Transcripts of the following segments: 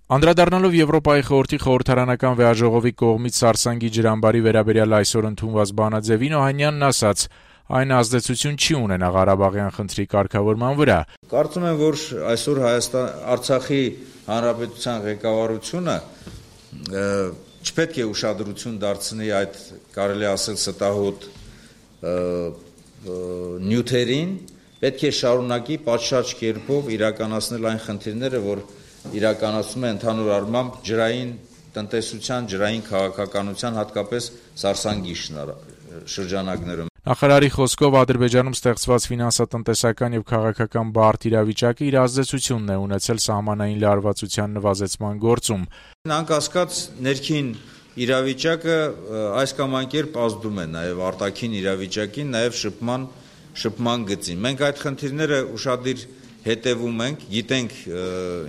Անդրադառնալով Եվրոպայի խորհրդի խորհրդարանական վեաժողովի կողմից Սարսանգի ջրամբարի վերաբերյալ այսօր ընդունված բանաձևին Օհանյանն ասաց. այն ազդեցություն չի ունենա Ղարաբաղյան խնդրի կարգավորման վրա. Կարծում եմ, որ այսօր Արցախի հանրապետության ղեկավարությունը չպետք է ուշադրություն դարձնի այդ, կարելի ասել, ստահոդ նյութերին, պետք է շարունակի պատշաճ կերպով իրականացնել այն խնդիրները, որ իրականացում է ընդհանուր առմամբ ջրային տնտեսության, ջրային քաղաքականության, հատկապես Սարսանգի շրջանակներում։ Նախարարի խոսքով Ադրբեջանում ստեղծված ֆինանսատնտեսական եւ քաղաքական բարդ իրավիճակը իր ազդեցությունն է ունեցել սահմանային լարվածության նվազեցման գործում։ Անկասկած ներքին իրավիճակը այս կամ այն կերպ ազդում է նաեւ արտաքին իրավիճակին, նաեւ շփման գծին։ Մենք այդ խնդիրները ուշադիր հետևում ենք, գիտենք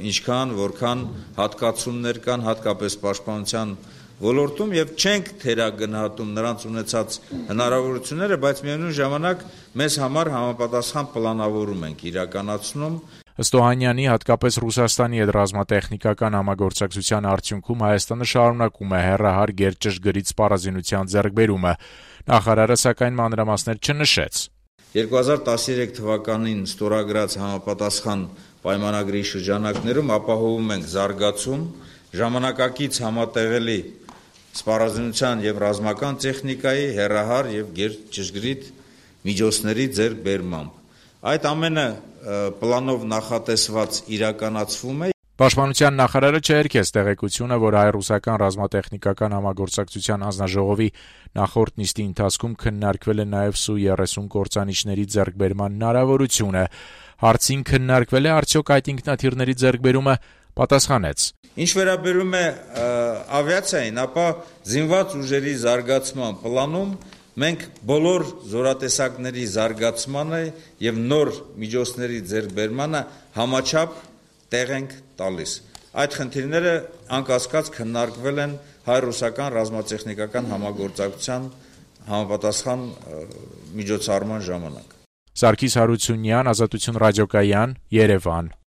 ինչքան, որքան հատկացումներ կան, հատկապես պաշտպանության ոլորտում եւ չենք թերագնահատում նրանց ունեցած հնարավորությունները, բայց միևնույն ժամանակ մեզ համար համապատասխան պլանավորում ենք իրականացնում։ Ըստ Օհանյանի, հատկապես Ռուսաստանի հետ ռազմատեխնիկական համագործակցության արդյունքում Հայաստանը շարունակում է հեռահար գերճշգրիտ սպառազինության ձեռքբերումը։ Նախարարը սակայն մանրամասներ չնշեց։ 2013 թվականին ստորագրած համապատասխան պայմանագրի շրջանակներում ապահովում ենք զարգացում, ժամանակակից համատեղելի սպառազինության եւ ռազմական տեխնիկայի, հեռահար եւ գերճշգրիտ միջոցների ձեռքբերմամբ։ Այդ ամենը պլանով նախատեսված իրականացվում է։ Պաշտպանության նախարարը չհերքեց տեղեկությունը, որ հայ-ռուսական ռազմատեխնիկական համագործակցության հանձնաժողովի նախորդ նիստի ընթացքում քննարկվել է նաև Su-30 կործանիչների ձեռքբերման հնարավորությունը։ Հարցին քննարկվել է արդյոք այդ ինքնաթիռների ձեռքբերումը, պատասխանեց. Ինչ վերաբերում է ավիացիային, ապա զինված ուժերի զարգացման պլանում մենք բոլոր զորատեսակների զարգացմանը եւ նոր միջոցների ձեռքբերմանը համաչափ տեղ ենք տալիս։ Այդ խնդիրները անկասկած քննարկվել են հայ-ռուսական ռազմատեխնիկական համագործակցության համապատասխան միջոցառման ժամանակ։ Սարգիս Հարությունյան, Ազատություն ռադիոկայան, Երևան։